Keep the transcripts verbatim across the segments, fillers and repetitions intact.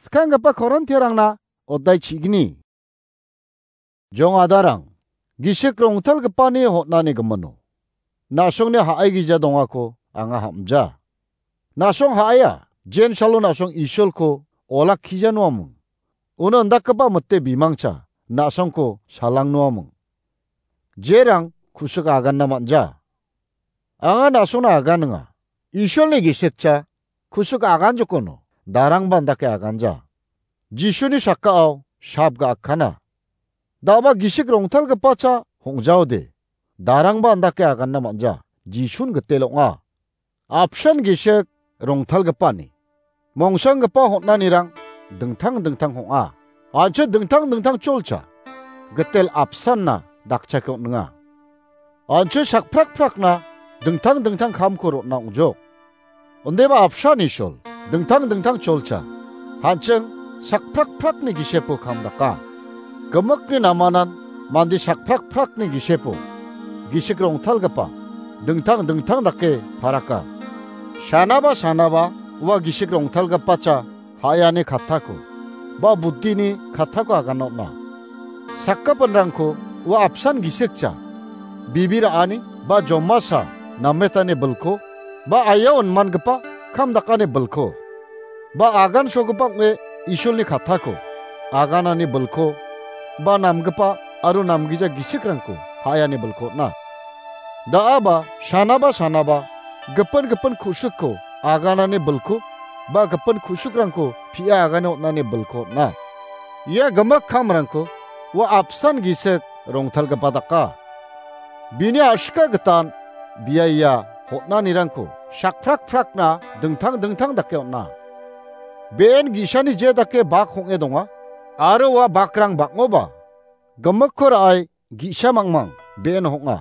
Skanggipa Korintiarangna odai chigni. Jong adarang, gisik rongtalgipani hotnani gimino. Na·songni ha·aigija dongako anga hamja. Na·song ha·aia, jensalo na·song Isolko olakkija noaming. Uno indakgipa mite bimangcha na·songko salang noaming. Jerang kusik aganna manja. Anga na·songna aganinga. Isolni gisikcha kusik agan jokono, darangba indake aganja. Jisuni sakao sap ga·akana. Daba gisik rongtalgipacha hong·jaode, darangba indake aganna manja. Jisun gitel ong·a. Apsan gisik rongtalgipani mongsanggipa hotnanirang dingtang dingtang hong·a. An·ching dingtang dingtang cholcha gitel apsanna dakchake on·enga. An·ching sakprakprakna dingtang dingtang kamko ron·na ong·jok. Indiba apsan Isol dingtang dingtang cholcha, an·ching sakprakprakni gisepo kam daka. Gimikni namanan mande sakprakprakni gisepo gisik rongtalgipa dingtang dingtang dake paraka. Sanaba sanaba ua gisik rongtalgipacha ha·ani kattako ba buddini kattako agana on·a. Sakgipinrangko ua apsan gisikcha bibi ra·ani ba jomasa nametani bilko ba aiao inmangipa kam dakani bilko ba agan sogipa ong·e Isolni kattako aganani bilko ba namgipa aro namgija gisikrangko ha·ani bilko on·a. Da·aba sanaba sanaba gipin gipin ku·sikko aganani bilko ba gipin ku·sikrangko pia agane on·ani bilko on·a. Ia gimik kamrangko ua apsan gisik rongtalgipa daka. Bini a·sika gitan bia ia hotnanirangko sakprakprakna dingtang dingtang dake on·a. Be·en gi·sani je dake bak hong·e donga aro ua bakrang bang·oba gimikko ra·e gi·sa mangmang be·en hong·a.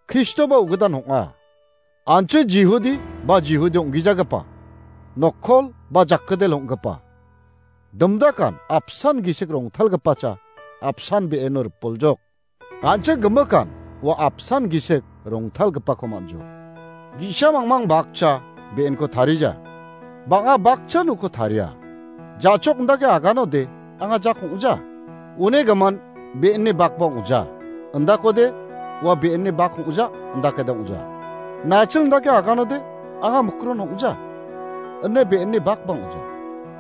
Kristoba ugidan hong·a. An·ching Jihudi ba Jihudi ong·gijagipa, nokkol ba jakgidel ong·gipa. Dimdakan apsan gisik rongtalgipacha apsan be·eno ripoljok. An·ching gimikan ua apsan gisik rongtalgipako man·jok. Gi·sa mangmang bakcha be·enko tarija. Bang·a bakchan uko taria. Ja·chok indake aganode anga jak ong·ja. Une gimin be·enni bakba ong·ja. Indakode ua be·enni bak ong·ja, indakede ong·ja. Nachil indake aganode anga mikron ong·ja. Ine be·enni bakba ong·ja.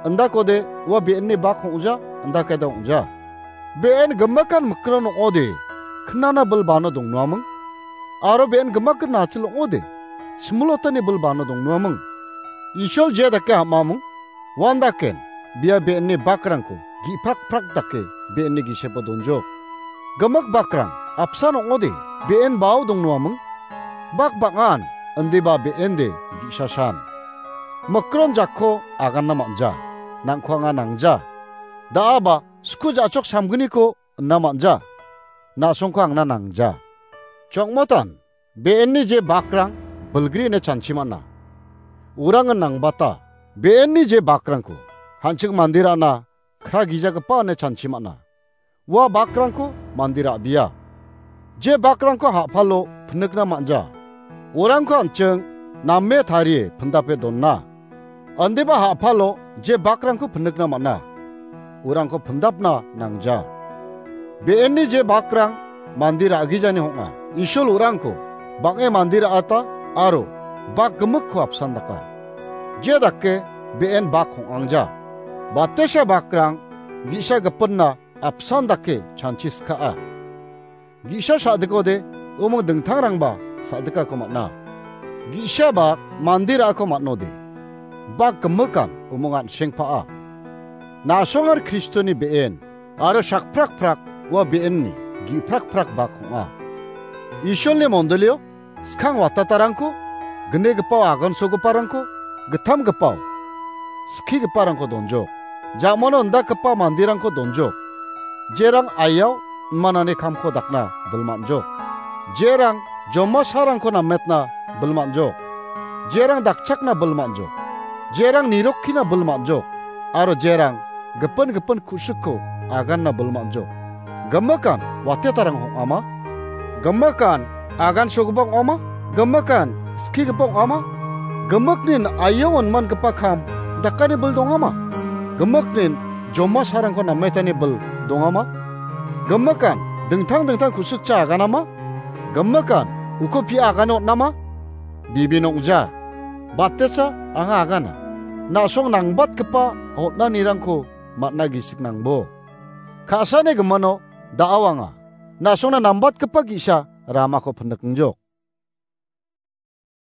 Indakode ua be·enni bak ong·ja, indakede ong·ja. Be·en gimikan mikron ong·ode, knana bilbano dongnoaming. Aro be·en gimikan nachil ong·ode, similotani bilbano dongnoaming. Isol je dake ham·aming, uandaken bia be·enni bakrangko gi·prakprak dake be·enni gisepo donjok. Gimik bakrang apsan ong·ode, be·en bao dongnoaming. Bak bang·an, indiba be·ende gi·sasan. Mikron jakko aganna man·ja, nangko anga nangja. Da·aba sku ja·chok samgniko ina man·ja. Na·songko angna nangja. Chongmotan, be·enni je bakrang bilgri ine chanchi man·a. Urangan nangbata, be·enni je bakrangko hanching mandirana kra gijagipa ine chanchi man·a. Ua bakrangko mande ra·bia. Je bakrangko ha·palo pinikna man·ja. Urangko an·ching name tarie pindape dona. Indiba ha·palo je bakrangko pinikna man·a. Urangko pindapna nangja. Be·enni je bakrang mande ra·gijani hong·a. Isol urangko bang·e mande ra·ata aro bak gimikko apsan daka. Je dake be·en bak hong·angja. Batesa bakrang gi·sa gipinna apsan dake chanchi skaa. Gi·sa sa·dikode umung dingtangrangba sa·dikako man·a. Gi·sa bak mande ra·ako man·ode. Bak gimikan umung an·sengpaa. Na·songar Kristoni be·en aro sakprakprak ua be·enni gi·prakprak bak ong·a. Isolni mondolio skang watatarangko, gnegipao agansogiparangko, gittamgipao skigiparangko donjok. Jamano indakgipa manderangko donjok. Jerang aiao inmanani kamko dakna bilmanjok. Jerang jomasarangko nametna bilmanjok. Jerang dakchakna bilmanjok. Jerang nirokkina bilmanjok. Aro jerang gipin gipin ku·sikko aganna bilmanjok. Gimikan watetarang ong·ama? Gimikan agansogipa ong·ama? Gimikan skigipa ong·ama? Gimiknin aiao inmangipa kam dakani bil dongama? Gimiknin jomasarangko nametani bil dongama? Gimikan dingtang dingtang ku·sikcha aganama? Gimikan uko pia agane on·ama? Bibin ong·ja. Batesa anga agana. Na·song nangbatgipa on·anirangko man·a gisik nangbo. Ka·sani gimino da·o anga. Na·songna nambatgipa ge·sa ramako pindikengjok.